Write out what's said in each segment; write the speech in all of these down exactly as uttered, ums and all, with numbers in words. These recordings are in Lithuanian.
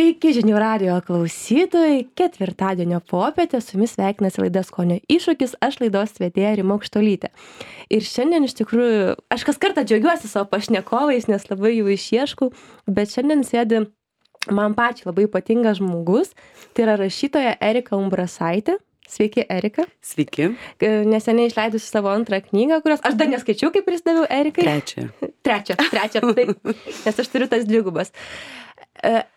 Sveiki žinių radijo klausytojai, ketvirtadienio popietė, su jumis sveikinasi laida Skonio iššūkis, aš laidos vedėja Rima Aukštuolytė. Ir šiandien iš tikrųjų, aš kas kartą džiaugiuosi savo pašnekovais, nes labai jų išieškau, bet šiandien sėdi man pačiai labai ypatingas žmogus, tai yra rašytoja Erika Umbrasaitė. Sveiki, Erika. Sveiki. Neseniai išleidusi savo antrą knygą, kurios aš dar neskaičiau, kaip pristaviau Erikai. Trečią. Trečią, trečią, taip, nes aš turiu tas dvigubas.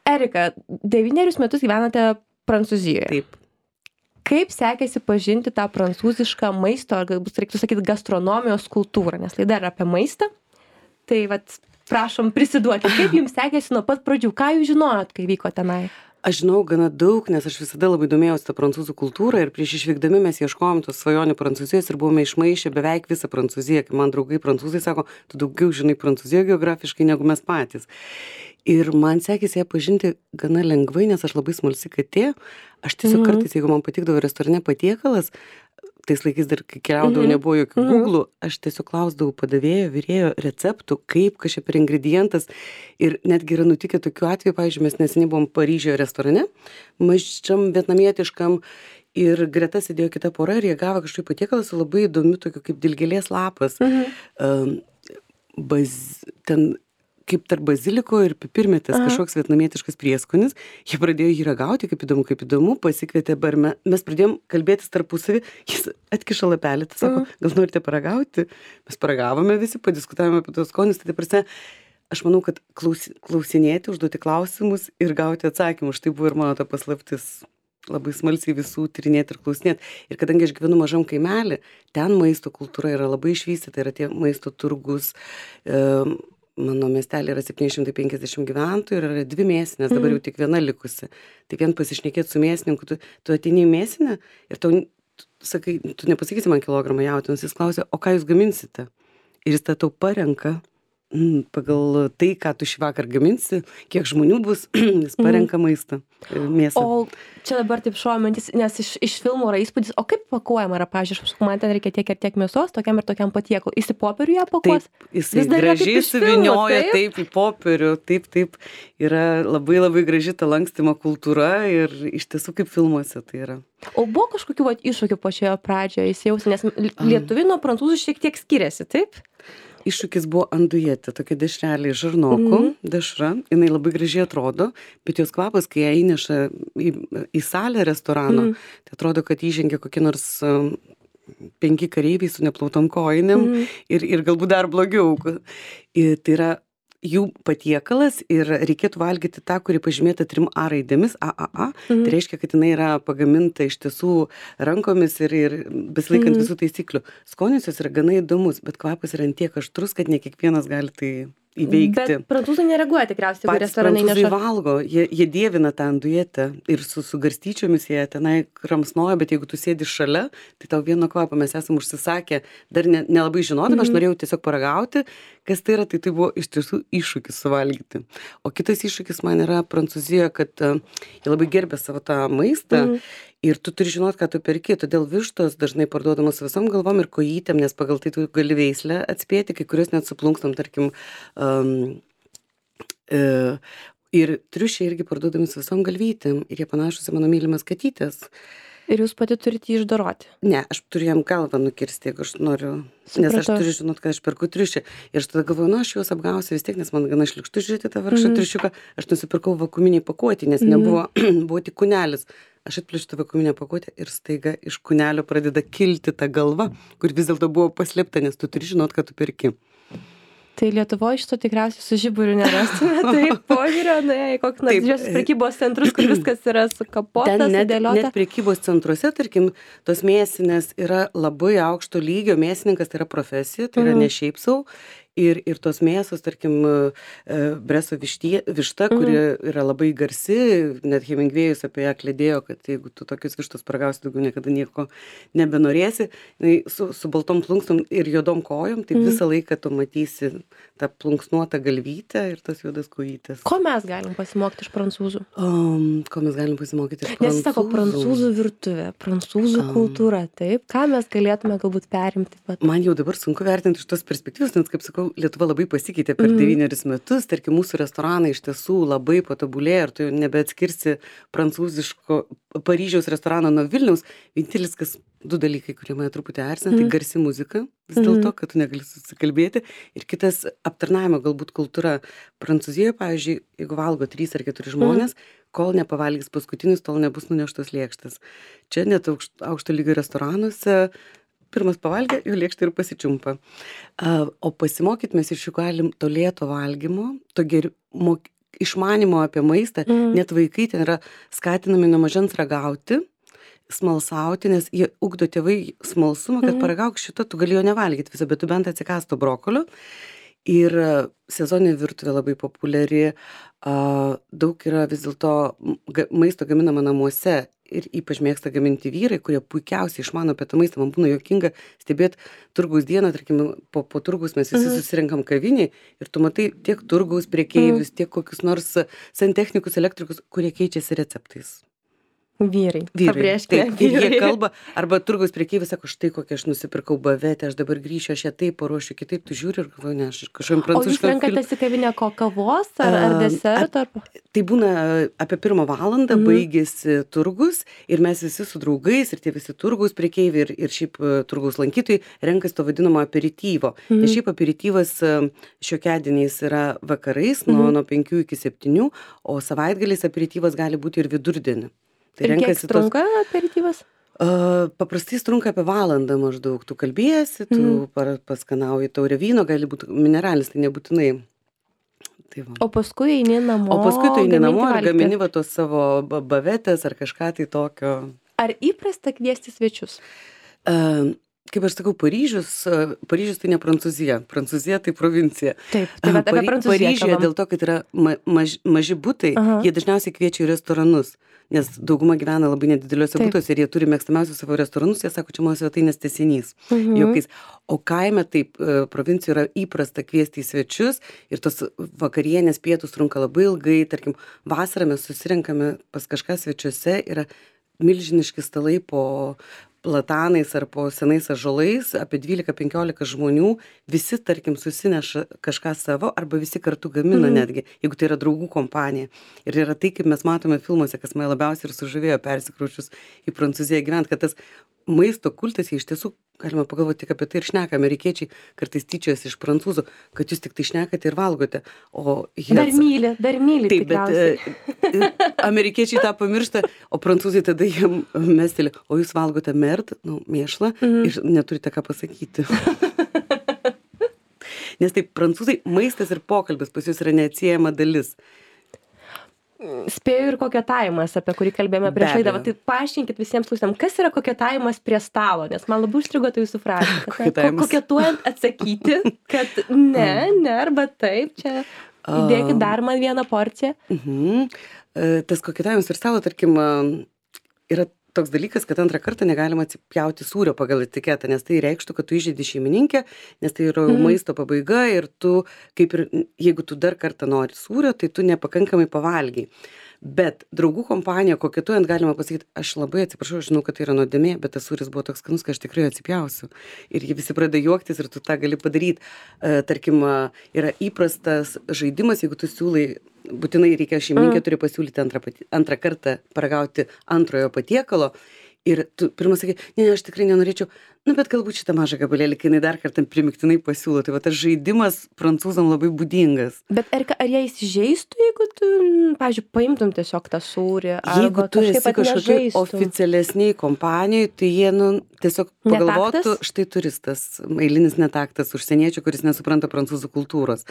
Erika, devynerius metus gyvenate Prancūzijoje. Taip. Kaip sekėsi pažinti tą prancūzišką maisto, ar galbūt reiktų sakyti gastronomijos kultūrą, nes laida yra apie maistą. Tai vat, prašom prisiduoti, kaip jums sekėsi nuo pat pradžių, ką jūs žinojot, kai vyko tenai? Aš žinau gana daug, nes aš visada labai domėjausi tą prancūzų kultūrą ir prieš išvykdami mes ieškojom tos svajonių Prancūzijos ir buvome išmaišę beveik visą Prancūziją. Kai man draugai prancūzai sako, tu daugiau žinai Prancūziją geografiškai negu mes patys. Ir man sekėsi ją pažinti gana lengvai, nes aš labai smalsi katė. Aš tiesiog Mhm. kartais, jeigu man patikdavo restorane patiekalas, tais laikais dar, kai keliaudavau, Mhm. nebuvo jokių Mhm. Google, aš tiesiog klausdavau padavėjo, virėjo receptų, kaip kažkaip per ingredientas. Ir netgi yra nutikę tokių atvejų, pavyzdžiui, mes neseniai buvom Paryžioje restorane, mažam vietnamietiškam, ir greta sėdėjo kita pora ir jie gavo kažkaip patiekalą su labai įdomiu tokiu kaip dilgėlės lapas. Mhm. Um, baz, ten kaip tarp baziliko ir pipirmėtės Aha. kažkoks vietnamietiškas prieskonis. Jie pradėjo jį ragauti, kaip įdomu, kaip įdomu, pasikvietė barme. Mes pradėjom kalbėtis tarpusavį, jis atkiša lapelį, tai sako, gal norite paragauti? Mes paragavome visi, padiskutavome apie tos skonius, tai prasme, aš manau, kad klaus, klausinėti, užduoti klausimus ir gauti atsakymus. Štai buvo ir mano ta paslaptis. Labai smalsiai visų tyrinėti ir klausinėti. Ir kadangi aš gyvenu mažam kaimelį, ten maisto kultūra yra labai išvystyta, yra tie maisto turgus. E, Mano miestelė yra septyni šimtai penkiasdešimt gyventojų ir yra dvi mėsinės, dabar jau tik viena likusi. Tai vien pasišnekėti su mėsininku, tu, tu ateini į mėsinę ir tau, tu, sakai, tu nepasakysi man kilogramą jautienos, jis klausia, o ką jūs gaminsite? Ir jis tą tau parenka mm, pagal tai, ką tu šį vakar gaminsi, kiek žmonių bus, jis parenka maistą, mėsą. O čia dabar taip šuomantis, nes iš, iš filmų yra įspūdis, o kaip pakuojama yra, pavyzdžiui, aš sakau, man ten reikia tiek ir tiek mėsos, tokiam ir tokiam patiekalui. Jis į popierių ją pakuos? Taip, jisai Vis dar yra kaip gražiai iš filmų, suvinioja, taip? taip, į popierių, taip, taip, yra labai labai graži ta lankstymo kultūra ir iš tiesų kaip filmuose tai yra. O buvo kažkokių vat, iššūkių pačioje pradžioje įsijausti, nes lietuviai nuo prancūzų šiek tiek skiriasi, taip? Iššūkis buvo andujėtė, tokia dešrelė iš žarnokų, Mhm. dešra, jinai labai gražiai atrodo, bet jos kvapas, kai ją įneša į, į salę restorano, Mhm. tai atrodo, kad įžengia kokie nors um, penki kareiviai su neplautom kojinėm Mhm. ir, ir galbūt dar blogiau. Ir tai yra jų patiekalas ir reikėtų valgyti tą, kuri pažymėta trim A raidėmis, A A A. Mhm. Tai reiškia, kad jinai yra pagaminta iš tiesų rankomis ir, ir besilaikant Mhm. visų taisyklių. Skonis jos yra gana įdomus, bet kvapas yra ant tiek aštrus, kad ne kiekvienas gali tai įveikti. Bet prancūzai nereaguoja tikriausiai, jeigu Patys restoranai prancūzai neša. valgo, jie, jie dievina tą andujėtę ir su, su garstyčiomis jie tenai kramsnoja, bet jeigu tu sėdi šalia, tai tau vieno kvapo mes esam užsisakę, dar ne, nelabai žinodami, aš Mhm. norėjau tiesiog paragauti, kas tai yra, tai tai buvo iš tiesų iššūkis suvalgyti. O kitas iššūkis man yra Prancūzijoje, kad uh, jie labai gerbė savo tą maistą. Mhm. Ir tu turi žinot, ką tu perki, todėl vištos dažnai parduodamos visom galvom ir kojytėm, nes pagal tai tu gali veislę atspėti, kai kurios net suplunkstam, tarkim, um, e, ir triušiai irgi parduodami su visom galvytėm ir jie panašus į mano mylimas katytės. Ir jūs pati turite jį išdoroti. Ne, aš turiu jam galvą nukirsti, jeigu aš noriu, nes aš Supratau. turiu žinot, kad aš perku triušį. Ir aš tada galvoju, nu, aš juos apgausiu vis tiek, nes man gana šlikštu žiūrėti tą vargšą Mhm. triušiuką. Aš nusipirkau vakuuminį pakuotį, nes Mhm. nebuvo, buvo tik kūnelis. Aš atplėšiu tą vakuuminę pakuotę ir staiga iš kūnelio pradeda kilti ta galva, kur vis dėlto buvo paslėpta, nes tu turi žinot, kad tu perki. Tai Lietuvoje šito tikriausiai su žiburiu nerastume, tai požiūrio, na, į kokį nors Taip. didžiosios prekybos centrus, kur viskas yra sukapota, Ten net, sudėliota. net prekybos centruose, tarkim, tos mėsinės yra labai aukšto lygio, mėsininkas tai yra profesija, tai yra Mhm. ne šiaip sau. Ir, ir tos mėsos, tarkim, e, Breso vištie, višta, kuri yra labai garsi, net Hemingvėjus apie ją klėdėjo, kad jeigu tu tokius vištus paragausi, daugiau niekada nieko nebenorėsi. Jinai su, su baltom plunksnom ir juodom kojom, tai Mhm. visą laiką tu matysi tą plunksnuotą galvytę ir tas juodas kojytės. Ko mes galim pasimokyti iš prancūzų? Um, ko mes galim pasimokyti iš prancūzų? Nes jis sako prancūzų virtuvė, prancūzų Am. kultūra, taip. Ką mes galėtume galbūt perimti? Pat? Man jau dabar sunku vertinti iš tos perspektyvos, nes, kaip sakau, jau Lietuva labai pasikeitė per Mhm. devynerius metus, tarkim, mūsų restoranai iš tiesų labai patobulėjo ir tu jau nebeatskirsi prancūziško Paryžiaus restorano nuo Vilniaus. Vienintelis, kas du dalykai, kurie mane truputį erzina, tai Mhm. garsi muzika, vis Mhm. dėlto, kad tu negali susikalbėti. Ir kitas aptarnavimo galbūt kultūra. Prancūzijoje, pavyzdžiui, jeigu valgo trys ar keturi žmonės, kol nepavalgys paskutinis, tol nebus nuneštos lėkštės. Čia net aukšt, aukšto lygio restoranuose pirmas pavalgė, jų lėkštė ir pasičiumpa. A, O pasimokyti mes iš jų galim to lėto valgymo, to geri, mok, išmanimo apie maistą. Mhm. Net vaikai ten yra skatinami nuo mažens ragauti, smalsauti, nes jie ugdo tėvai smalsumą, kad Mhm. paragauk šito, tu gali jo nevalgyti visą, bet tu bent atsikąsto brokolio. Ir a, sezoninė virtuvė labai populiari, a, daug yra vis dėlto m, ga- maisto gaminama namuose ir ypač mėgsta gaminti vyrai, kurie puikiausiai išmano apie tą maistą. Man būna juokinga stebėti turgaus dieną, tarkim, po, po turgaus mes visi Mhm. susirinkam kavinį ir tu matai tiek turgaus priekeivius, tiek kokius nors santechnikus, elektrikus, kurie keičiasi receptais. Vyrai. Vyrai. Pabrėžkime, Taip, ir jie vyrai. kalba, arba turgaus priekeivis sako, štai kokią aš nusipirkau bavetę, aš dabar grįšiu, aš ją taip paruošiu, kitaip tu žiūri ir galvoju, ne, aš kažkaip O jūs prancūzišką renkatės į kavinę ko kavos ar, ar A, deserto? Ar... Tai būna apie pirmą valandą Mhm. baigėsi turgus ir mes visi su draugais ir tie visi turgaus prekeiviai ir, ir šiaip e, turgaus lankytojai renkasi to vadinamo aperityvo. Mhm. Nes šiaip aperityvas e, šiokiadieniais yra vakarais nuo, Mhm. nuo penkių iki septynių, o savaitgaliais aperityvas gali būti ir vidurdienį. Tai Ir kiek renkasi tos. trunka aperityvas? A, Paprastai jis trunka apie valandą maždaug. Tu kalbėsi, tu Mhm. par- paskanauji taurę vyno, gali būti mineralinis, tai nebūtinai. Tai va. O paskui eini namo. O paskui tu eini gaminti namo ir valgyti. gamini va tos savo ba- bavetės ar kažką tai tokio. Ar įprasta kviesti svečius? E, Kaip aš sakau, Paryžius, e, Paryžius tai ne Prancūzija, Prancūzija tai provincija. Taip, tai bet apie Pary- Prancūziją Paryžiuje kalbam. dėl to, kad yra ma, maž, maži butai, Aha. jie dažniausiai kviečia į restoranus, nes dauguma gyvena labai nedideliuose Taip. butuose ir jie turi mėgstamiausius savo restoranus, jie sako, čia mano svetainės tęsinys. Mhm. Jokiais. O kaime taip, e, provincijoje yra įprasta kviesti į svečius ir tos vakarienės pietus trunka labai ilgai, tarkim, vasarą mes susirenkame pas kažką svečiuose, yra milžiniški stalai po platanais ar po senais ąžuolais, apie dvylika penkiolika žmonių, visi, tarkim, susineša kažką savo arba visi kartu gamina Mhm. netgi, jeigu tai yra draugų kompanija. Ir yra tai, kaip mes matome filmuose, kas mane labiausiai ir sužavėjo persikraučius į Prancūziją gyvent, kad tas maisto kultas, jie iš tiesų, galima pagalvoti tik apie tai ir šneka, amerikiečiai kartais tyčiojasi iš prancūzų, kad jūs tik tai šnekate ir valgote. O jie Dar myli, dar myli. Taip, bet tikriausiai. e, e, amerikiečiai tą pamiršta, o prancūzai tada jiem mesteli, o jūs valgote merd, nu, mėšlą Mhm. ir neturite ką pasakyti. Nes taip, prancūzai, maistas ir pokalbis pas jūs yra neatsiejama dalis. Spėju ir koketavimas, apie kurį kalbėjome Be prieš laidą. abejo. Va, tai paaiškinkit visiems klausytams, kas yra koketavimas prie stalo, nes man labai užstrigo tai jūsų frazė. kad, na, Koketavimas. ko- Koketuojant atsakyti, kad ne, ne, arba taip, čia įdėkit dar man vieną porciją. Mhm. E, Tas koketavimas ir stalo, tarkim, a, yra toks dalykas, kad antrą kartą negalima atsipjauti sūrio pagal etiketą, nes tai reikštų, kad tu įžeidi šeimininkę, nes tai yra Mhm. maisto pabaiga ir tu, kaip ir jeigu tu dar kartą nori sūrio, tai tu nepakankamai pavalgiai. Bet draugų kompanija koketuojant galima pasakyti, aš labai atsiprašau, aš žinau, kad tai yra nuodėmė, bet tas sūris buvo toks skanus, kad aš tikrai atsipjausiu. Ir jie visi pradeda juoktis ir tu tą gali padaryti. E, tarkim, a, yra įprastas žaidimas, jeigu tu siūlai, būtinai reikia šeimininkė turi pasiūlyti antrą, pati- antrą kartą paragauti antrojo patiekalo. Ir tu pirmą sakai, ne, ne, aš tikrai nenorėčiau, nu, bet galbūt šitą mažą gabalėlį, kai jinai dar kartą primiktinai pasiūlo. Tai va tas žaidimas prancūzam labai būdingas. Bet ar, ar jie įsižeistų, jeigu tu, mm, pavyzdžiui, paimtum tiesiog tą sūrį? Jeigu arba tu kažkaip esi kažkokiai atnežaistum? oficialesniai kompanijai, tai jie, nu, tiesiog pagalvotų, Netaktas? štai turistas, eilinis netaktas, užsieniečių, kuris nesupranta prancūzų kultūros.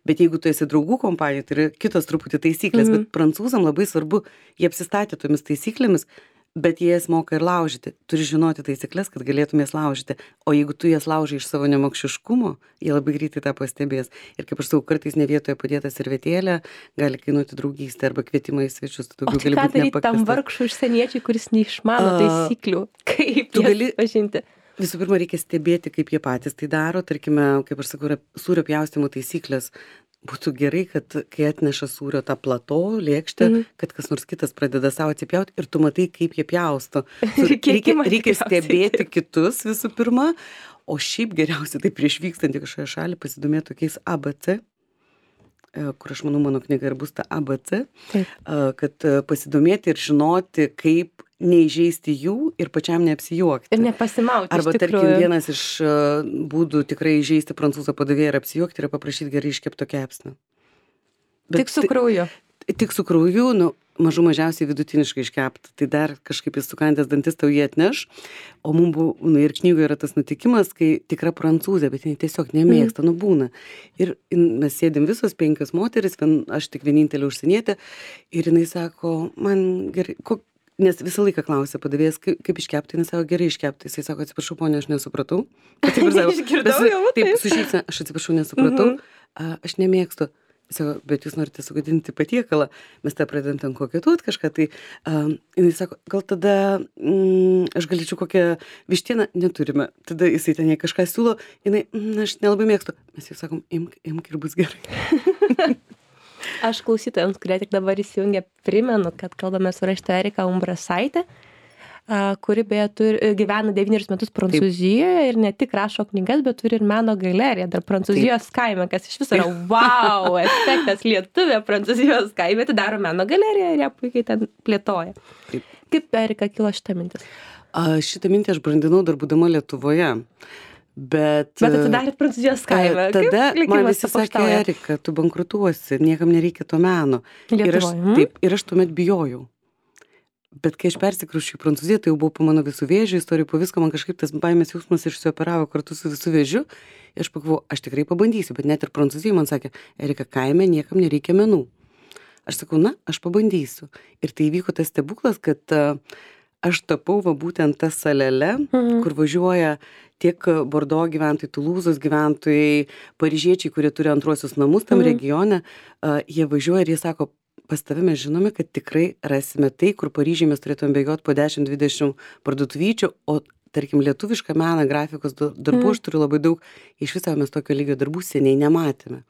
Bet jeigu tu esi draugų kompanija, tai yra kitos truputį taisyklės, Mhm. bet prancūzam labai svarbu, jie apsistatė tomis taisyklėmis, bet jie jas moka ir laužyti. Turi žinoti taisyklės, kad galėtum jas laužyti. O jeigu tu jas laužai iš savo nemokšiškumo, jie labai greitai tą pastebės. Ir kaip aš sakau, kartais ne vietoje padėta servetėlė gali kainuoti draugystę arba kvietimą į svečius. Tu O daugiau tai gali ką būti daryti tam nepakviestas. vargšui užsieniečiui, kuris neišmano A, taisyklių? Kaip tu jas gali- pažinti? Visų pirma, reikia stebėti, kaip jie patys tai daro. Tarkime, kaip aš sakau, yra sūrio pjaustimo taisyklės. Būtų gerai, kad kai atneša sūrio tą plato, lėkštę, Mhm. kad kas nors kitas pradeda savo atsipjauti ir tu matai, kaip jie pjausto. Tu- Ir kiek Reikia, ima reikia tikriausiai. stebėti kitus visų pirma, O šiaip geriausia tai prieš vykstant į kažkokią šalį pasidomėti tokiais A B C, kur aš manau mano knyga ir bus ta A B C, Taip. kad pasidomėti ir žinoti, kaip neįžeisti jų ir pačiam neapsijuokti. Ir nepasimauti. Arba, iš tarkim, tikrųjų. vienas iš būdų tikrai įžeisti prancūzą padavėją ir apsijuokti yra paprašyti gerai iškepto kepsnio. Tik su krauju. Tik su krauju, nu, mažų mažiausiai vidutiniškai iškepta. Tai dar kažkaip jis sukandęs dantis tau jį atneš. O mums buvo, nu, ir knygoje yra tas nutikimas, kai tikra prancūzė, bet jinai tiesiog nemėgsta, mm. nu būna. Ir mes sėdim visos penkios moteris, vien, aš tik vienintelė užsienietė. Ir jinai sako, man gerai, kok, nes visą laiką klausia padavėjas, kaip, kaip iškepti, jis sako, gerai iškepti. Jisai sako, atsiprašau, ponia, aš nesupratau. Išgirdau jau, taip. Taip, su šypsena, aš atsiprašau, nesupratau. Mm-hmm. Aš nemėgstu. Sako, bet jūs norite sugadinti patiekalą, mes tą pradedam ten kokietuot kažką, tai um, jinai sako, gal tada mm, aš galėčiau kokią vištieną, neturime, tada jisai ten jai kažką siūlo, jinai, mm, aš nelabai mėgstu, mes jau sakom, imk, imk ir bus gerai. Aš klausytojams, kurie tik dabar įsijungia, primenu, kad kalbame su rašytoja Erika Umbrasaitė, kuri beje turi, gyvena devynerius metus Prancūzijoje. Taip. Ir ne tik rašo knygas, bet turi ir meno galeriją dar Prancūzijos Taip. Kaime, kas iš viso yra wow, efektas lietuvė Prancūzijos kaime, tai daro meno galeriją ir ją puikiai ten plėtoja. Taip. Kaip Erika kilo šitą mintis? A, šitą mintį aš brandinau dar būdama Lietuvoje. Bet, bet atidarėt Prancūzijos kaime. Tada man visi sakė, Erika, tu bankrutuosi, niekam nereikia to meno. Ir aš, hmm? taip, ir aš tuomet bijojau. Bet kai aš persikrauščiau į Prancūziją, tai jau buvo po mano visų vėžių istorijų, po visko man kažkaip tas baimės jausmas išsioperavo kartu su visų vėžiu. Ir aš pagalvojau, aš tikrai pabandysiu, bet net ir Prancūzijai man sakė, Erika, kaime niekam nereikia menų. Aš sakau, na, aš pabandysiu. Ir tai įvyko tas stebuklas, kad uh, aš tapau va būtent tą salelę, mhm. kur važiuoja tiek Bordo gyventojai, Tulūzos gyventojai, paryžiečiai, kurie turi antruosius namus tam mhm. regione, uh, jie važiuoja ir jie sako, pas tave mes žinome, kad tikrai rasime tai, kur Paryžiai mes turėtume bėgioti po dešimt dvidešimt parduotuvyčių, o tarkim lietuvišką meną, grafikos darbų mm. aš turiu labai daug, iš viso mes tokio lygio darbų seniai nematėme.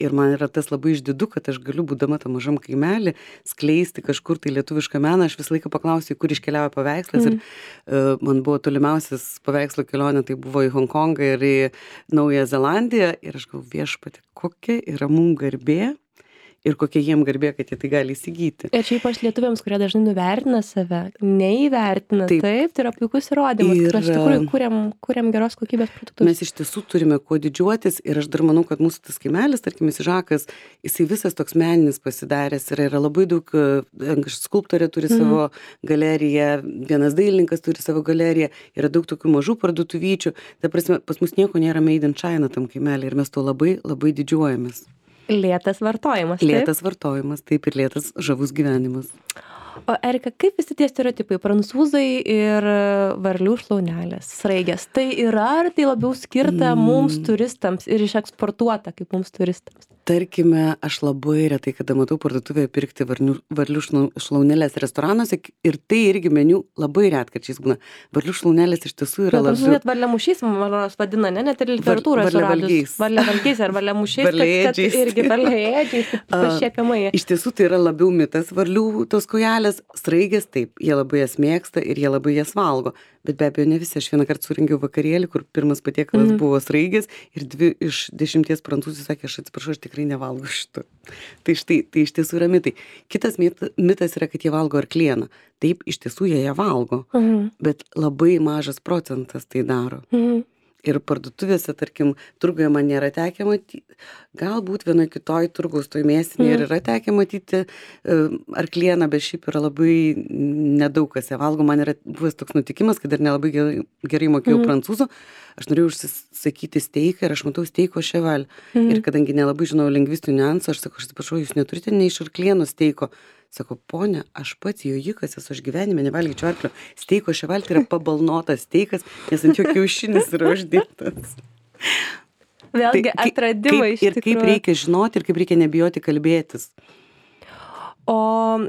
Ir man yra tas labai išdidu, kad aš galiu, būdama tam mažam kaimelį, skleisti kažkur tai lietuvišką meną. Aš visą laiką paklausiu, kur iškeliauja paveikslas. Mm. Ir uh, man buvo tolimiausias paveikslo kelionė, tai buvo į Honkongą ir į Naująją Zelandiją. Ir aš galvoju, viešpatie, kokia yra mum garbė. Ir kokia jiem garbė, kad jie tai gali įsigyti. Ir čia ypač lietuviams, kurie dažnai nuvertina save, neįvertina, taip, taip tai yra puikus įrodymas, kad iš tikrųjų kuriam, kuriam geros kokybės produktus. Mes iš tiesų turime kuo didžiuotis ir aš dar manau, kad mūsų tas kaimelis, tarkim, Žakas, jisai visas toks meninis pasidaręs yra, yra labai daug, skulptorė turi mm. savo galeriją, vienas dailininkas turi savo galeriją, yra daug tokių mažų parduotuvyčių, ta prasme, pas mus nieko nėra made in China tam kaimelį ir mes to labai, labai didžiuojamės. Lėtas vartojimas. Lėtas taip? vartojimas, taip ir lėtas žavus gyvenimas. O Erika, kaip visi tie stereotipai, prancūzai ir varlių šlaunelės, sraigės, tai yra ar tai labiau skirta mm. mums turistams ir išeksportuota kaip mums turistams? Tarkime, aš labai retai, kada matau parduotuvėje pirkti varlių, varlių šlaunelės restoranuose ir tai irgi meniu labai retkarčiais būna. Varlių šlaunelės iš tiesų yra labiau... labiau... Net varliamušiais, man vadina, ne? Net ir literatūroje suradus. Varliavalgiais ar varliamušiais, kad, kad irgi varliaėdžiais, pašiepiamai. Iš tiesų tai yra labiau mitas varlių tos kojelės, sraigės taip, jie labai jas mėgsta ir jie labai jas valgo. Bet be abejo ne visi, aš vieną kartą surengiau vakarėlį, kur pirmas patiekalas mm. buvo sraigės ir dvi iš dešimties prancūzų sakė, aš atsiprašau, aš tikrai nevalgo šito. Tai štai, tai iš tiesų yra mitai. Kitas mit, mitas yra, kad jie valgo arklieną. Taip, iš tiesų jie ją valgo, mm. bet labai mažas procentas tai daro. Mm. Ir parduotuvėse, tarkim, turguje man nėra tekę matyti, galbūt vienoje kitoj turgaus toj mėsinėje mm. yra tekę matyti uh, arklieną, bet šiaip yra labai nedaug kas ją valgo. Man yra buvęs toks nutikimas, kad dar nelabai gerai, gerai mokėjau mm. prancūzų, aš norėjau užsisakyti steiką ir aš matau steiko cheval. Mm. Ir kadangi nelabai žinau lingvistinių niuansų, aš sakau, aš atsiprašau, jūs neturite nei iš arklieno steiko. Sako, ponia, aš pats jojikas esu, aš gyvenime nevalgyčiau arklio. Steiko cheval tai yra pabalnotas steikas, nes ant jo kiaušinis yra uždėtas. Vėlgi tai, atradimai kaip, iš tikrųjų. Ir kaip reikia žinoti ir kaip reikia nebijoti kalbėtis. O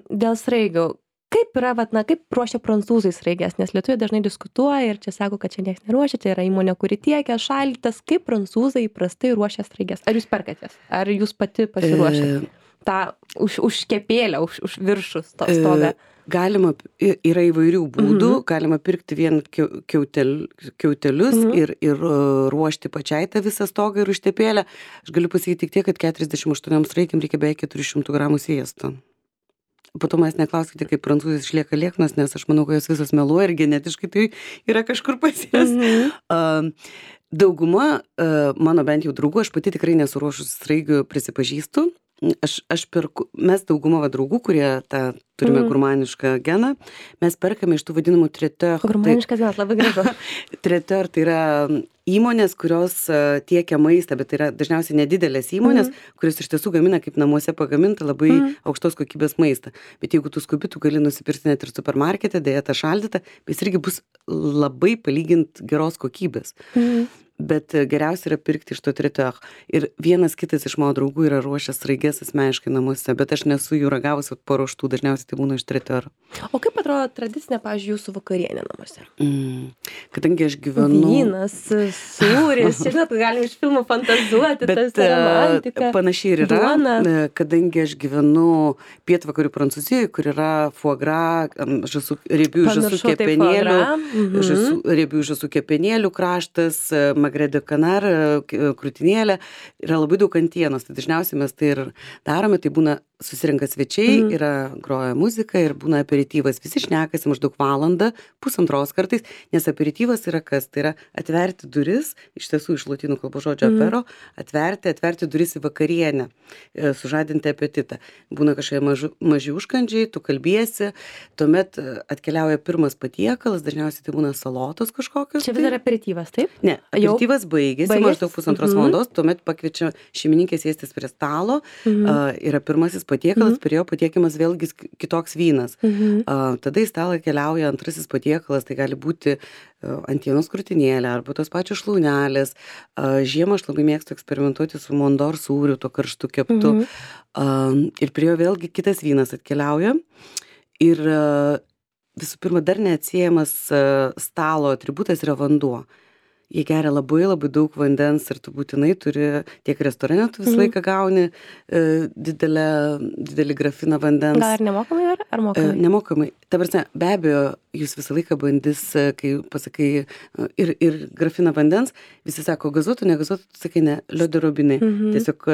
dėl sraigių, kaip yra, vat, na, kaip ruošia prancūzai sraigės, nes lietuviai dažnai diskutuoja ir čia sako, kad čia niekas neruošia, tai yra įmonė, kuri tiekia šaldytas, kaip prancūzai įprastai ruošia sraigės. Ar jūs perkatės? Ar jūs pati pasiruošėte? E... tą už, už kepėlę, už, už viršus to stogą? E, galima, yra įvairių būdų, mhm. galima pirkti vien kiautel, kiautelius mhm. ir, ir ruošti pačiai tą visą stogą ir užtepėlę. Aš galiu pasakyti tik tiek, kad keturiasdešimt aštuonioms sraigėm reikia beveik keturi šimtai gramų sviesto. Po to mes neklauskite, kaip prancūzės išlieka lieknos, nes aš manau, kad jos visos meluoja ir genetiškai tai yra kažkur pas jas. Mhm. Uh, dauguma uh, mano bent jau draugų, aš pati tikrai nesuruošus sraigių prisipažįstu. Aš, aš perku, mes dauguma va draugų, kurie tą turime mm. gurmanišką geną, mes perkame iš tų vadinamų traiteur. Gurmaniškas genas, labai gražu. Traiteur tai yra įmonės, kurios tiekia maistą, bet tai yra dažniausiai nedidelės įmonės, mm. kurios iš tiesų gamina kaip namuose pagamintą labai mm. aukštos kokybės maistą. Bet jeigu tu skubi, tu gali nusipirkti net ir supermarkete, dėja tą šaldytą, jis irgi bus labai palygint geros kokybės. Mm. Bet geriausia yra pirkti iš to traiteur. Ir vienas kitas iš mano draugų yra ruošęs sraiges asmeniškai namuose, bet aš nesu jų ragavusi paruoštų, dažniausiai tai būna iš traiteur. O kaip atrodo tradicinė, pavyzdžiui, jūsų vakarienė namuose? Mm. Kadangi aš gyvenu... Vynas, sūris, čia žinot, galim iš filmų fantazuoti, bet tas romantika. Panašiai ir yra, duona. Kadangi aš gyvenu pietvakarių Prancūzijoje, kur yra foie gras, žasų, riebių žasų kepenėlių, mhm. žasų, riebių žasų kepenėlių kraštas, magre de canar, krūtinėlė, yra labai daug antienos, tai dažniausiai mes tai ir darome, tai būna susirenka svečiai, mm. yra groja muzika ir būna aperityvas, visi šnekasi maždaug valandą, pusantros kartais, nes aperityvas yra kas, tai yra atverti duris, iš tiesų iš lotynų kalbos žodžio mm. apero, atverti, atverti duris į vakarienę, sužadinti apetitą. Būna kažkokie maži, maži užkandžiai, tu kalbiesi, tuomet atkeliauja pirmas patiekalas, dažniausiai tai būna salotos kažkokios. Čia vis dar aperityvas, taip? Ne, aperityvas baigėsi, baigėsi maždaug pusantros mm-hmm. valandos, tuomet pakviečia šeimininkės sėstis prie stalo, mm-hmm. uh, yra pirmasis patiekalas, mm-hmm. prie jo patiekiamas vėlgi kitoks vynas. Mm-hmm. Uh, tada į stalą keliauja antrasis patiekalas, tai gali būti uh, antienos krūtinėlė arba tos pačios šlaunelės. Uh, žiemą aš labai mėgstu eksperimentuoti su mondor sūriu, to karštu keptu. Mm-hmm. Uh, ir prie jo vėlgi kitas vynas atkeliauja. Ir uh, visų pirma, dar neatsiejamas uh, stalo atributas yra vanduo. Jie geria labai labai daug vandens ir tu būtinai turi, tiek restorane tu visą laiką gauni e, didelę, didelį grafiną vandens. Gal ar nemokamai ar, ar mokamai? E, nemokamai. Ta prasme, be abejo, jūs visą laiką bandys, kai pasakai ir, ir grafiną vandens, visi sako gazuotų, negazuotų, tu sakai ne, liudo robinai. Mhm. Tiesiog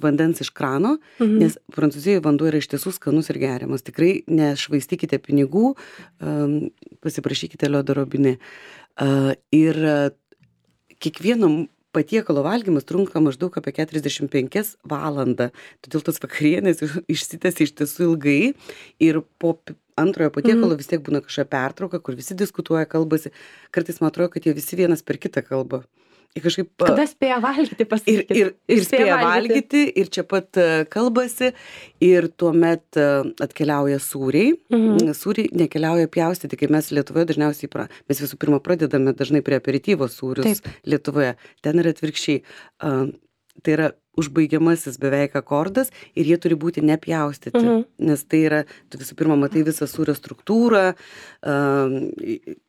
vandens iš krano, mhm. nes Prancūzijoje vanduo yra iš tiesų skanus ir geriamas. Tikrai nešvaistykite pinigų, um, pasiprašykite liudo robinai. Uh, ir kiekvieno patiekalo valgymas trunka maždaug apie keturiasdešimt penkias valandą. Todėl tos vakarienės išsitęsia iš tiesų ilgai ir po antrojo patiekalo mm. vis tiek būna kažkokia pertrauka, kur visi diskutuoja, kalbasi. Kartais man atrodo, kad jie visi vienas per kitą kalbą. Ir kažkaip, kada spėja valgyti, pasakykit. Ir, ir, ir spėja valgyti. valgyti, ir čia pat kalbasi, ir tuomet atkeliauja sūriai. Mhm. Sūriai nekeliauja pjaustyti, kai mes Lietuvoje dažniausiai, pra, mes visų pirma pradedame dažnai prie aperityvo sūrius. Taip. Lietuvoje. Ten yra atvirkščiai. Uh, tai yra užbaigiamasis beveik akordas ir jie turi būti nepjaustyti, mhm. nes tai yra, tu visų pirma matai visą sūrio struktūrą, uh,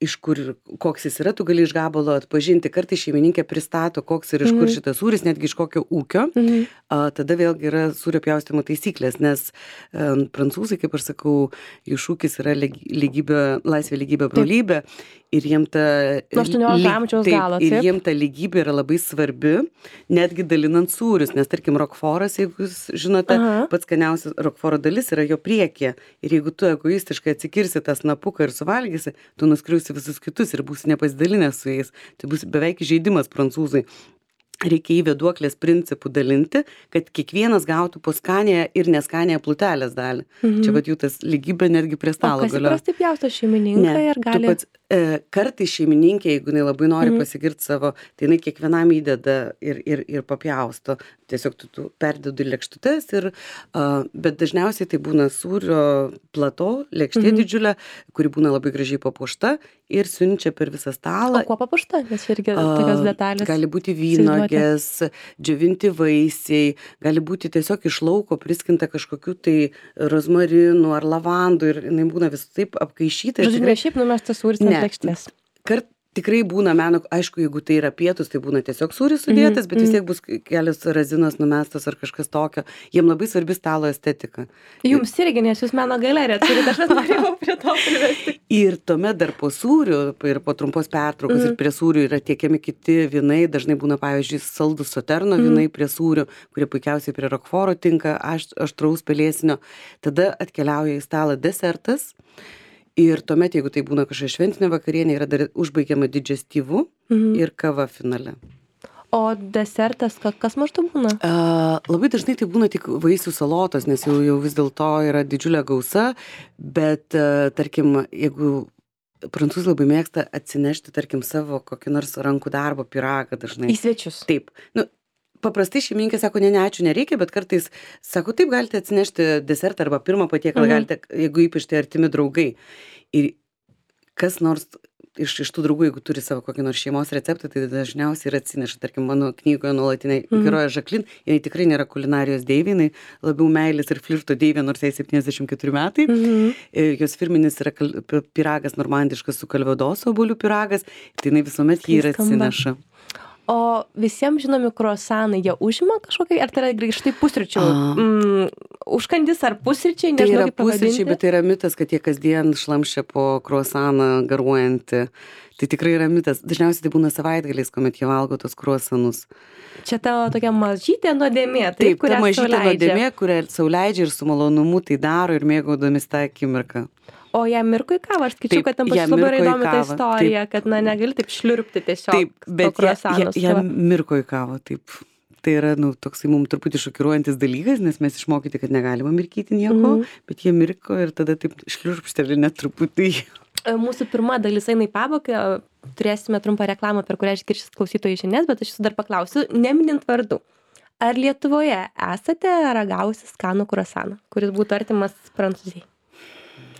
iš kur, koks jis yra, tu gali iš gabalo atpažinti, kartais šeimininkė pristato, koks ir iš mhm. kur šitas sūris, netgi iš kokio ūkio, mhm. uh, tada vėlgi yra sūrio pjaustimo taisyklės, nes uh, prancūzai, kaip aš sakau, jų šūkis yra lygybė, laisvė, lygybė, brolybė. Ir jiem ta, aštuoniolikto amžiaus galo, ir jiem ta lygybė yra labai svarbi, netgi dalinant sūrius, nes tarkim rokforas, jeigu jūs žinote, aha. pats skaniausias rokforo dalis yra jo priekyje. Ir jeigu tu egoistiškai atsikirsi tą snapuką ir suvalgysi, tu nuskriausi visus kitus ir būsi nepasidalinęs su jais. Tai bus beveik įžeidimas prancūzai. Reikia į vėduoklės principų dalinti, kad kiekvienas gautų po skanėje ir neskanėje plutelės dalį. Mhm. Čia vat jų tas lygybė netgi prie stalo galioja. O kas įprastai pjausto šeimininkai ir gali... Pats, e, kartai šeimininkė, jeigu jinai labai nori mhm. pasigirti savo, tai jinai kiekvienam įdeda ir, ir, ir papjausto. Tiesiog tu, tu perdedu lėkštutes, ir, uh, bet dažniausiai tai būna sūrio plato, lėkštė mhm. didžiulė, kuri būna labai gražiai papuošta ir siunčia per visą stalą. O kuo papuošta? Nes irgi tokios detalės. Gali būti vynogės, džiovinti vaisiai, gali būti tiesiog iš lauko priskinta kažkokių tai rozmarinų ar lavandų ir jinai būna vis taip apkaišyta. Žodžiu, tikrai... ne šiaip numestas sūris ant lėkštės. Kart tikrai būna meno, aišku, jeigu tai yra pietus, tai būna tiesiog sūris sudėtas, bet vis tiek bus kelios razinos numestos ar kažkas tokio. Jiem labai svarbi stalo estetika. Jums irgi, nes jūs meno galerija turite, aš norėjau prie to privesti. Ir tuomet dar po sūrių ir po trumpos pertraukos mm. ir prie sūrių yra tiekiami kiti vynai, dažnai būna, pavyzdžiui, saldus Soterno mm. vynai prie sūrių, kurie puikiausiai prie Rokforo tinka, aš, aštraus pelėsinio. Tada atkeliauja į stalą desertas. Ir tuomet, jeigu tai būna kažkokia šventinė vakarienė, yra dar užbaigiama digestyvu mhm. ir kava finale. O desertas, kas maždaug būna? Uh, labai dažnai tai būna tik vaisių salotos, nes jau, jau vis dėlto yra didžiulė gausa, bet uh, tarkim, jeigu prancūzai labai mėgsta atsinešti, tarkim, savo kokį nors rankų darbo pyragą dažnai. Į svečius. Taip. Nu, paprastai šeimininkė sako, ne, ne, ačiū, nereikia, bet kartais sako, taip, galite atsinešti desertą arba pirmą patiekalą, mhm. galite, jeigu ypač tai artimi draugai. Ir kas nors iš, iš tų draugų, jeigu turi savo kokį nors šeimos receptą, tai dažniausiai ir atsineša. Tarkim, mano knygoje nuolatinė mhm. heroja Žaklin, jinai tikrai nėra kulinarijos deivė, jinai labiau meilės ir flirto deivė, nors jai septyniasdešimt keturi metai. Mhm. Jos firminis yra kal, pyragas normandiškas su kalvadoso obuolių pyragas, tai jinai visuomet jį ir atsineša. O visiems žinomi kruasanai, jie užima kažkokią, ar tai yra grįžtai pusryčių? Mm, užkandis ar pusryčiai? Tai yra pusryčiai, bet tai yra mitas, kad jie kasdien šlamšia po kruasaną garuojantį. Tai tikrai yra mitas. Dažniausiai tai būna savaitgaliais, kuomet jie valgo tos kruasanus. Čia tavo tokia mažytė nuodėmė, taip, taip ta mažytė nuodėmė, kurią sau leidžia ir su malonumu tai daro ir mėgaudomis tą akimirką. O jam mirko į kavą, aš skaičiu, kad tam pačiu labai įdomi ta istorija, taip. Kad na, negali taip šliurpti tiesiog. Taip, bet jam ja, mirko į kavą, taip. Tai yra, nu, toksai mums truputį šokiruojantis dalykas, nes mes išmokyti, kad negalima mirkyti nieko, mm. bet jie mirko ir tada taip šliurpšteli net truputį. Mūsų pirma dalis eina į pabaigą, turėsime trumpą reklamą, per kurią išgiršis klausytojų žinias, bet aš jūsų dar paklausiu, neminint vardų. Ar Lietuvoje esate ragausi skanų kruasaną, kuris būtų artimas Prancūzijai?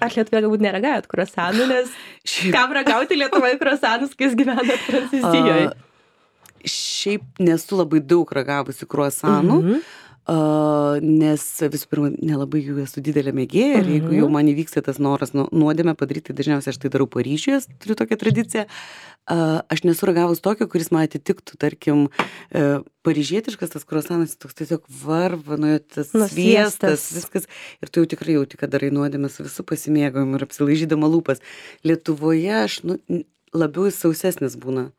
Ar Lietuvoje galbūt neragavot kruasanų, nes šiaip... kam ragauti Lietuvoje kruasanus, kai jūs gyvenat Prancūzijoje? Uh, šiaip nesu labai daug ragavusi kruasanų, mm-hmm. uh, nes visų pirma, nelabai jų esu didelė mėgėja ir mm-hmm. jeigu jau man įvyksta tas noras nu, nuodėmę padaryti, tai dažniausiai aš tai darau Paryžiuje, turiu tokią tradiciją. Uh, aš nesu ragavus tokio, kuris man atitiktų, tarkim, uh, paryžietiškas tas kruasanas, toks tiesiog varva, nu, tas sviestas, viskas. Ir tu jau tikrai jauti, kad darai nuodėmę su visų pasimėgavimu ir apsilaižydama lūpas. Lietuvoje aš nu, labiau sausesnis būna.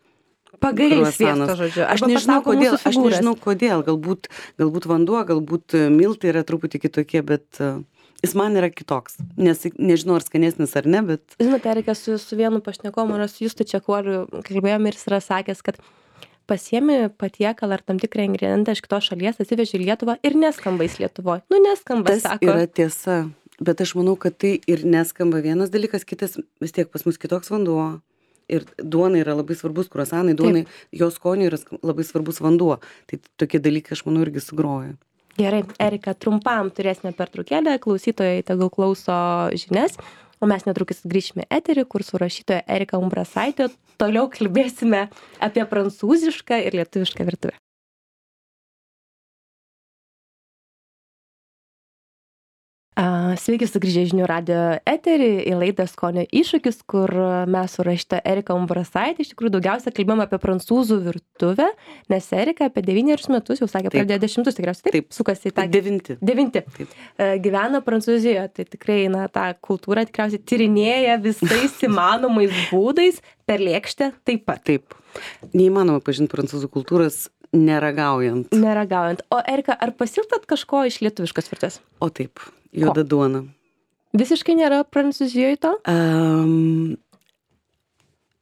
Pagailiai sviesto, žodžiu. Aš nežinau, kodėl, aš nežinau kodėl. Galbūt, galbūt vanduo, galbūt miltai yra truputį kitokie, bet... Uh, Jis man yra kitoks, nes nežinau, ar skanesnis ar ne, bet... Žinote, reikia su, su vienu pašnekomu, ar su Justu Čekuoliu kalbėjom ir jis yra sakęs, kad pasiemi patiekalą ar tam tikrą ingredientą iš kitos šalies, atsiveži į Lietuvą ir neskamba jis Lietuvoje. Nu, neskamba, tas sako. Tas yra tiesa, bet aš manau, kad tai ir neskamba vienas dalykas, kitas vis tiek pas mus kitoks vanduo. Ir duonai yra labai svarbus, kruasanai, duonai, jos skoniui yra labai svarbus vanduo. Tai tokie dalykai, aš manau, irgi sugroja. Gerai, Erika, trumpam turėsime pertraukėlę, klausytojai tegul klauso žinias, o mes netrukus grįšime eterį, kur su rašytoja Erika Umbrasaitė toliau kalbėsime apie prancūzišką ir lietuvišką virtuvę. Sveiki sugrįžę žinių radijo eterį į laidą Skonio iššūkis, kur mes su rašytoja Erika Umbrasaitė iš tikrųjų daugiausia kalbėjome apie prancūzų virtuvę, nes Erika apie devynerius metus, jau sakė, pradėjo dešimtus tikriausiai, taip, taip sukasi į tą... Devinti. Devinti. Taip. Gyvena Prancūzijoje, tai tikrai, na, tą kultūrą tikriausiai tyrinėja visais įmanomais būdais, per lėkštę taip pat. Taip. Neįmanoma pažinti prancūzų kultūros neragaujant. Neragaujant. O Erika, ar pasilgtat kažko iš lietuviškos virtuvės? O taip. Juoda duona. Visiškai nėra Prancūzijoje to? Um,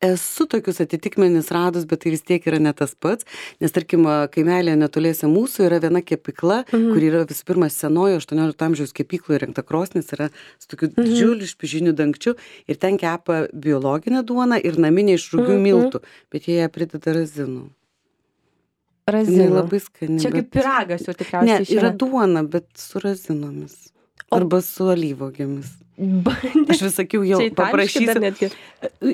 esu tokius atitikmenis radus, bet tai vis tiek yra ne tas pats, nes tarkim, kaimelėje netoliese mūsų yra viena kepykla, mhm. kur yra visų pirma senojo aštuoniolikto amžiaus kepykloje įrengta krosnis, yra su tokiu mhm. didžiuliu špižiniu dangčiu ir ten kepa biologinę duoną ir naminę iš rugių mhm. miltų, bet jie ją prideda razinų. Razinų. Labai skani. Čia kaip piragas jau tikriausiai. Ne, yra duona, bet su razinomis. Arba su alyvuogėmis. Bandė. Aš vis sakiau, jau Čia itališki dar paprašysiu. netgi.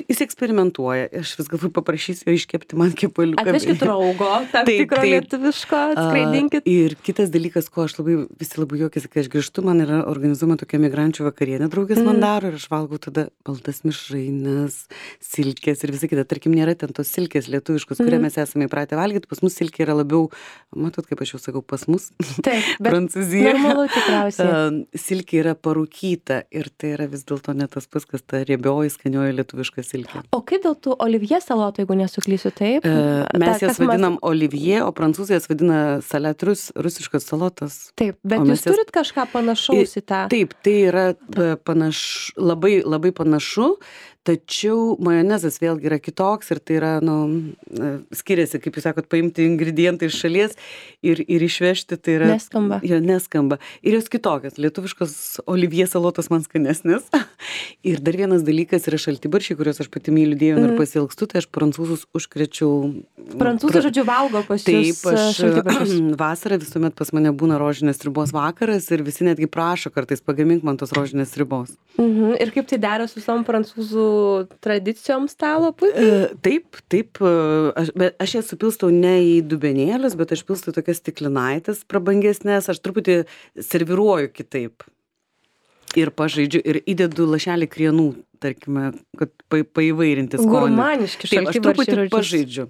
Jis eksperimentuoja. Aš vis galvoju, paprašysiu jo iškepti man kepaliuką. Atvežkit raugo, tam Taip, tikro taip. lietuviško, skraidinkit. A, Ir kitas dalykas, ko aš labai, visi labai juokiasi, kai aš grįžtu, man yra organizuojama tokia migrančių vakarienė, draugės man daro ir aš valgau tada baltas mišraines, silkės ir visą kitą. Tarkim, nėra ten tos silkės lietuviškos, kurią mes esame įpratę valgyti. Pas mus silkė yra labiau, matot, kaip aš jau sakau, pas mus. Taip, bet Prancūzija. normalu tikriausiai. A, Silkė yra parūkyta ir tai yra vis dėlto ne tas pats, kas ta riebioji, skanioji lietuviška silkė. O kaip dėl tų olivie salotų, jeigu nesuklysiu, taip? E, Mes Ta, jas kas mas- vadinam olivie, o prancūzai jas vadina salet, rusiškas salotas. Taip, bet O jūs mes jas- turit kažką panašaus į tą? Taip, tai yra e, panaš, labai, labai panašu, tačiau majonezas vėlgi yra kitoks ir tai yra, nu, e, skiriasi, kaip jūs sakot, paimti ingredientai iš šalies ir, ir išvežti, tai yra... Neskamba. Jo, neskamba. Ir jos kitokios. Lietuviškos olivie salotos man skanesnės. Ir dar vienas dalykas yra šaltibaršiai, kuriuos aš pati myliu dievinu ir pasilgstu, tai aš prancūzus užkrečiau... Prancūzai, žodžiu, valgo pas Taip, jūs aš šaltibarščius. vasarą visuomet pas mane būna rožinės sriubos vakaras ir visi netgi prašo kartais pagamink man tos rožinės sriubos. Mhm. Ir kaip tai dera su visom prancūzų tradicijom stalo puikiai? E, Taip, taip, e, aš, bet aš jas supilstau ne į dubenėlius, bet aš pilstau tokias stiklinaitės prabangesnės, aš truputį serviruoju kitaip. Ir pažaidžiu, ir įdedu lašelį krienų, tarkime, kad pa, paįvairinti skonį. Gurmaniški Taip, aš šaltibarščiai, truputį žodžiu. pažaidžiu.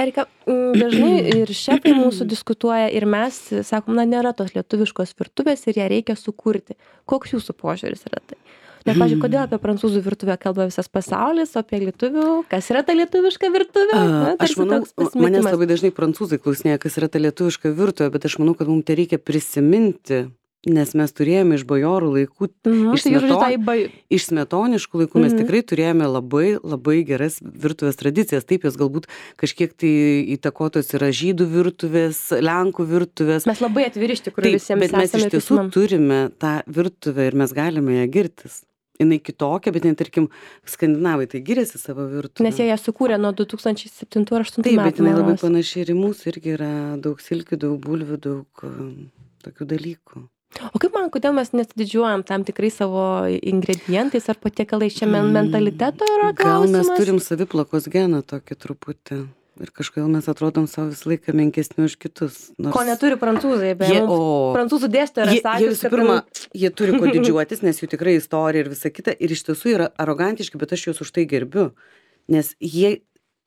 Erika, mm, dažnai ir šefai mūsų diskutuoja ir mes sakom, na, nėra tos lietuviškos virtuvės ir ją reikia sukurti. Koks jūsų požiūris yra tai? Nes, pažiūrėjau, kodėl apie prancūzų virtuvę kalba visas pasaulis, o apie lietuvių, kas yra ta lietuviška virtuvė? Na, Aš tarsi manau, toks pasimetimas. manęs labai dažnai prancūzai klausinėja, kas yra ta lietuviška virtuvė, bet aš manau, kad mums tai reikia prisiminti, nes mes turėjome iš bajorų laikų, Mhm, iš, tai jūs žodžiu, smeton, tai bai- iš smetoniškų laikų mes Mhm. tikrai turėjome labai, labai geras virtuvės tradicijas. Taip, jos galbūt kažkiek tai įtakotos yra žydų virtuvės, lenkų virtuvės. Mes labai atviri iš tikrųjų Taip, visiems bet mes esame iš ir tiesų prisimenam. turime tą virtuvę ir mes galime ją girtis. Jinai kitokia, bet, ne, tarkim, skandinavai tai giriasi savo virtuvę. Nes jie ją sukūrė nuo du tūkstančiai septintų ar aštuntų Taip, bet metų. jinai man labai rodos. panaši ir į mūsų, irgi yra daug silkių, daug bulvių, daug um, tokių dalykų. O kaip man, kodėl mes nesididžiuojam tam tikrai savo ingredientais ar patiekalais? Čia men- mentaliteto yra Gal klausimas? mes turim saviplakos geną tokį truputį. Ir kažkodėl mes atrodom savo visą laiką menkesni už kitus. Nors Ko neturi prancūzai, bet Jie- mums o- prancūzų dėstytoja yra Jie, jie sakęs, visų kad pirma, jie turi ko didžiuotis, nes jų tikrai istorija ir visa kita. Ir iš tiesų yra arogantiški, bet aš juos už tai gerbiu. Nes jie,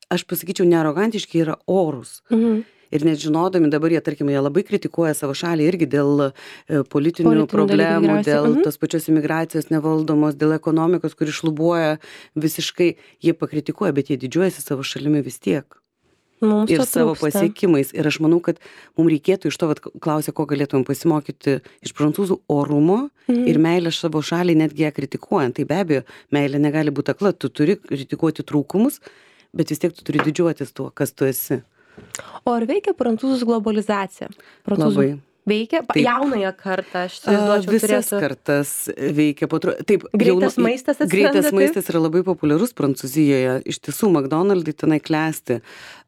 aš pasakyčiau, ne arogantiški, yra orūs. Mhm. Ir net žinodami dabar jie, tarkim, jie labai kritikuoja savo šalį irgi dėl e, politinių Politinių problemų, dalykų dėl tikriausiai. Mhm. tos pačios imigracijos nevaldomos, dėl ekonomikos, kuri šlubuoja visiškai. Jie pakritikuoja, bet jie didžiuojasi savo šalimi vis tiek. Mums Ir to savo trūksta. pasiekimais. Ir aš manau, kad mums reikėtų iš to, vat, klausia, ko galėtumėm pasimokyti iš prancūzų orumo Mhm. ir meilę savo šaliai, netgi ją kritikuojant. Tai be abejo, meilė negali būti akla, tu turi kritikuoti trūkumus, bet vis tiek tu turi didžiuotis tuo, kas tu esi. O ar veikia prancūzų globalizacija? Prancūzų Labai. veikia? Pa- Taip. Jaunąją kartą, aš A, įsivaizduočiau, Visas turėtų. kartas veikia po tru... Taip, Greitas jaunu- maistas atsiranda, Greitas taip? maistas yra labai populiarus Prancūzijoje. Iš tiesų, McDonald'ai tenai klesti.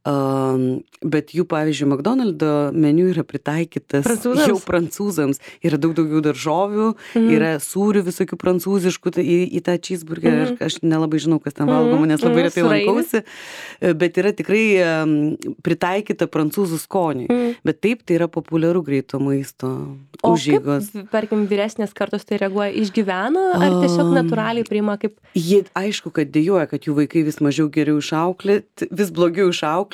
Um, bet jų, pavyzdžiui, McDonald'o meniu yra pritaikytas Prancūzams? jau prancūzams. Yra daug daugiau daržovių, Mhm. yra sūrių visokių prancūziškų tai į, į tą cheeseburgerį. Mhm. Aš, aš nelabai žinau, kas ten Mhm. valgoma, nes labai Mhm. retai Sūrainis. lankausi. Bet yra tikrai um, pritaikyta prancūzų skoniui. Mhm. Bet taip, tai yra populiaru greito maisto O užeigos. kaip, tarkim, vyresnės kartos tai reaguoja, išgyvena ar tiesiog Um, natūraliai priima kaip... Jie aišku, kad dėjoja, kad jų vaikai vis mažiau geriau išauklėti, vis blogiau išauklėti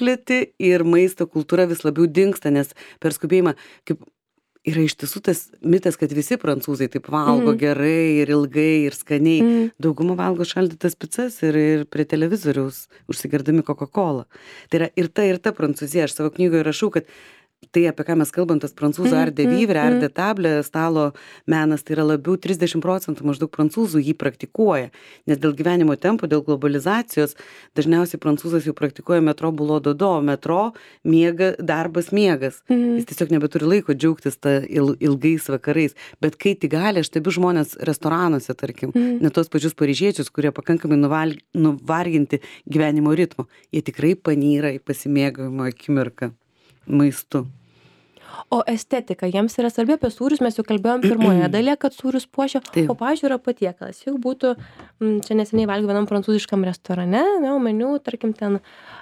ir maisto kultūra vis labiau dingsta, nes per skubėjimą, kaip yra iš tiesų tas mitas, kad visi prancūzai taip valgo Mhm. gerai ir ilgai ir skaniai. Mhm. Dauguma valgo šaldytas picas ir, ir prie televizoriaus užsigerdami Coca-Cola. Tai yra ir ta, ir ta Prancūzija. Aš savo knygoje rašau, kad tai, apie ką mes kalbam, tas prancūzų Mhm, ar de vivre, ar mhm. de table, stalo menas, tai yra labiau trisdešimt procentų maždaug prancūzų jį praktikuoja. Nes dėl gyvenimo tempo, dėl globalizacijos, dažniausiai prancūzas jau praktikuoja metro bulo dodo, metro, miega, darbas, miegas. Mhm. Jis tiesiog nebeturi laiko džiaugtis tą il, ilgais vakarais. Bet kai tik gali, aš stebiu žmonės restoranuose, tarkim, Mhm. net tos pačius paryžiečius, kurie pakankamai nuval, nuvarginti gyvenimo ritmo, jie tikrai panyra į pasimėgavimo akimirką maistu. O estetika jiems yra svarbi, apie sūrius mes jau kalbėjom pirmoje dalyje, kad sūrius puošia, Taip. o pavyzdžiui yra patiekalas. Jau būtų, m, čia neseniai valgiau vienam prancūziškam restorane, ne, o meniu, tarkim, ten,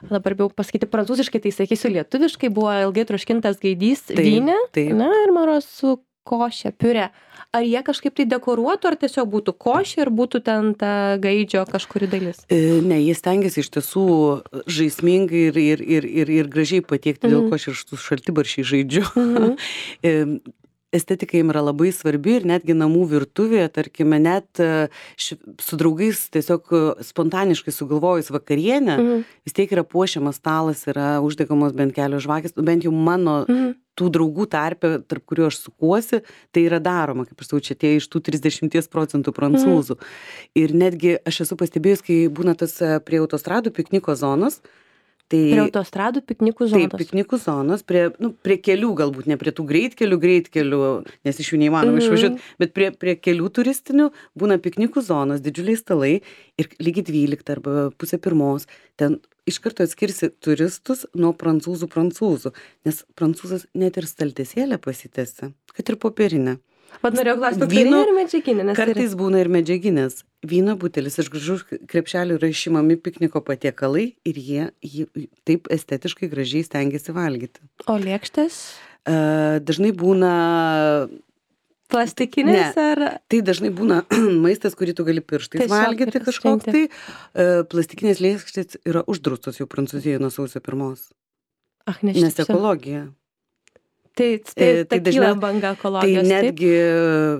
dabar bijau pasakyti prancūziškai, tai sakysiu lietuviškai, buvo ilgai troškintas gaidys Taip, vyne, taip. ne, ir maro su košė, piurė. Ar jie kažkaip tai dekoruotų, ar tiesiog būtų košė ir būtų ten ta gaidžio kažkuri dalis? E, Ne, jie stengiasi iš tiesų žaismingai ir, ir, ir, ir, ir gražiai patiekti, dėl ko aš ir su šaltibaršiai žaidžiu. E, Estetika jiem yra labai svarbi ir netgi namų virtuvėje, tarkime, net e, š, su draugais tiesiog e, spontaniškai sugalvojus vakarienę, Mhm. vis tiek yra puošiamas stalas, yra uždegamos bent kelios žvakės, bent jau mano Mhm. tų draugų tarpe, tarp kurių aš sukuosi, tai yra daroma, kaip aš sakau, čia tie iš tų trisdešimties procentų prancūzų. Ir netgi aš esu pastebėjus, kai būna tas e, prie autostradų pikniko zonos, tai Prie autostradų piknikų taip, zonos. piknikų zonos, prie, nu, prie kelių galbūt, ne prie tų greitkelių, greitkelių, nes iš jų neįmanoma Mhm. išvažiuoti, bet prie, prie kelių turistinių būna piknikų zonos, didžiuliai stalai ir lygiai dvyliktą arba pusę pirmos. Ten iš karto atskirsi turistus nuo prancūzų prancūzų, nes prancūzas net ir staltesėlę pasitęsia, kad ir popierinę. Vat norėjau klausti, Vyno- popierinė ir medžiaginė, nes Kartais būna ir medžiaginės. Vyno butelis iš gražių krepšelių yra išimami pikniko patiekalai ir jie jį taip estetiškai gražiai stengiasi valgyti. yra. O lėkštės? E, Dažnai būna, Plastikinės ar... tai dažnai būna maistas, kurį tu gali pirštais Tiesiog valgyti ir kažkoks pasirinkti. tai. E, Plastikinės lėkštės yra uždraustos jau Prancūzijoje nuo sausio pirmos, Ach, nes neštypsiu. ekologija. Tai, tai, E, tai tai kyla dažniau- banga Tai ekologijos. taip? netgi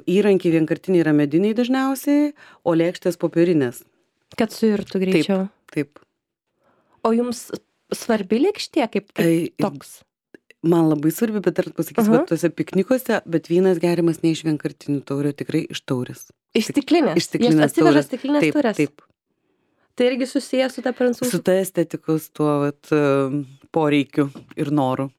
įrankiai vienkartiniai yra mediniai dažniausiai, o lėkštės popierinės. Kad suirtų greičiau. Taip. O jums svarbi lėkštė kaip, kaip Ai, toks? Man labai svarbi, bet dar pasakysiu, Aha. kad tuose piknikuose, bet vynas geriamas ne iš vienkartinių taurių, tikrai iš taurės. Iš stiklinės. iš stiklinės Jos atsiveža taurės. stiklinės Taip, turės. taip. Tai irgi susijęs su ta prancūzų. Su ta estetikos tuo vat, e, poreikiu ir noru.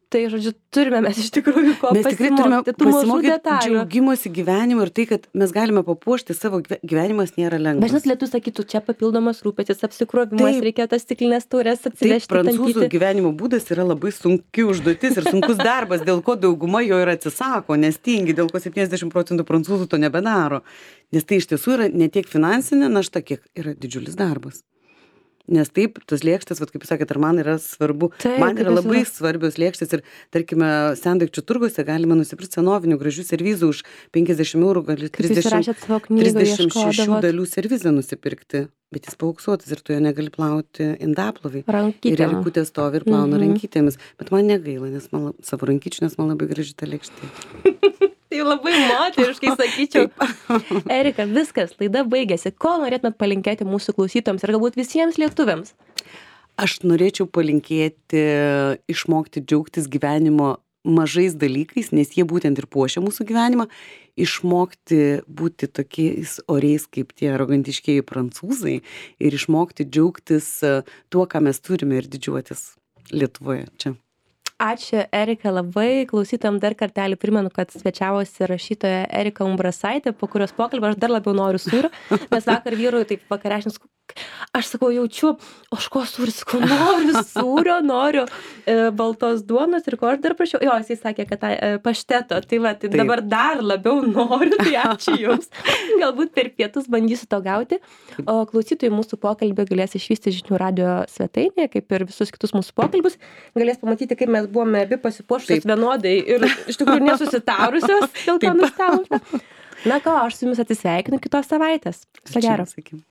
Tai, žodžiu, turime mes iš tikrųjų ko Mes tikrai turime pasimokyti. Tų mažų pasimokyti detalių. džiaugimosi gyvenimu ir tai, kad mes galime papuošti savo gyve- gyvenimas nėra Bet lengvas. žinot, lietus sakytų, čia papildomas rūpestis, apsikrovimas, Taip. reikia tas stiklinės taurės Taip, atsivežti. prancūzų tampyti. gyvenimo būdas yra labai sunki užduotis ir sunkus darbas, dėl ko dauguma jo ir atsisako, nes tingi, dėl ko septyniasdešimt procentų prancūzų to nebedaro. Nes tai iš tiesų yra ne tiek finansinė našta, kiek yra didžiulis darbas. Nes taip, tos lėkštės, vat, kaip jūs sakėt, ar man yra svarbu, Taip, man kaip yra jūs labai sakot. svarbios lėkštės ir, tarkime, sendaikčių turguose galima nusipirkti senovinių gražių servizų už penkiasdešimt eurų, gali Kaip jūs trisdešimt, rašėt savo knygoje, trisdešimt šešių ieškodavot dalių servizą nusipirkti, bet jis paauksuotas ir tu jo negali plauti indaplovai. Ir rankytėm. erikutė stovi ir plauna Mhm. rankytėmis. Bet man negaila, nes man, lab- savo rankyčių, nes man labai graži ta lėkštė. Tai labai moteriškai sakyčiau. Erika, viskas, laida baigėsi. Ko norėtumėt palinkėti mūsų klausytojams ir galbūt visiems lietuviams? Aš norėčiau palinkėti išmokti džiaugtis gyvenimo mažais dalykais, nes jie būtent ir puošia mūsų gyvenimą. Išmokti būti tokiais oriais kaip tie arogantiškieji prancūzai ir išmokti džiaugtis e, tuo, ką mes turime ir didžiuotis Lietuvoje čia. Ačiū, Erika, labai. Klausytojams dar kartelį primenu, kad svečiavosi rašytoja Erika Umbrasaitė, po kurios pokalbio aš dar labiau noriu sūrio, nes vakar vyrui taip vakarešnis, aš sakau, jaučiu, o aš ko sūris, sakau, noriu sūrio, noriu e, baltos duonos ir ko aš dar prašiau. Jo, jisai sakė, kad tą e, pašteto, tai va, tai Taip. dabar dar labiau noriu, tai ačiū jums. Galbūt per pietus bandysiu to gauti. O klausytojai mūsų pokalbį galės išvysti žinių radio svetainėje, kaip ir visus kitus mūsų pokalbius. Galės pamatyti, kaip mes buvome abi pasipuošusios Taip. vienodai ir iš tikrųjų nesusitarusios, dėl ko Taip. nustebome. Na ką, aš su jumis atsisveikinu kitos savaitės. Viso gero. Sakykim.